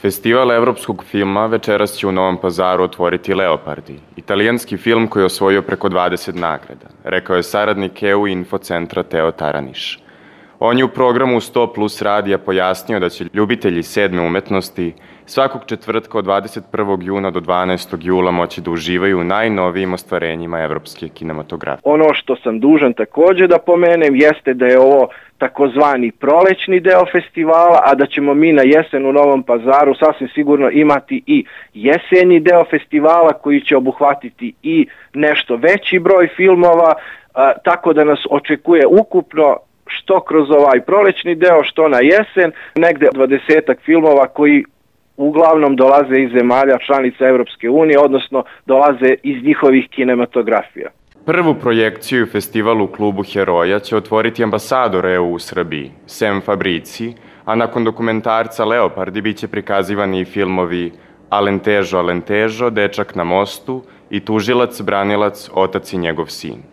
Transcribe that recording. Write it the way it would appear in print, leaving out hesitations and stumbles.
Festival evropskog filma večeras će u Novom Pazaru otvoriti Leopardi, italijanski film koji je osvojio preko 20 nagrada, rekao je saradnik EU Infocentra Teo Taraniš. On je u programu 100 plus radija pojasnio da će ljubitelji sedme umetnosti svakog četvrtka od 21. juna do 12. jula moći da uživaju u najnovijim ostvarenjima evropske kinematografije. Ono što sam dužan također da pomenem jeste da je ovo takozvani prolećni deo festivala, a da ćemo mi na jesen u Novom Pazaru sasvim sigurno imati i jesenji deo festivala koji će obuhvatiti i nešto veći broj filmova, tako da nas očekuje ukupno što kroz ovaj prolećni deo, što na jesen, negde 20-ak filmova koji uglavnom dolaze iz zemalja članica Europske unije, odnosno dolaze iz njihovih kinematografija. Prvu projekciju festivalu u klubu Heroja će otvoriti ambasador EU u Srbiji, Sem Fabrici, a nakon dokumentarca Leopardi biće prikazivani i filmovi Alentejo, Alentejo, Dečak na mostu i Tužilac, branilac, otac i njegov sin.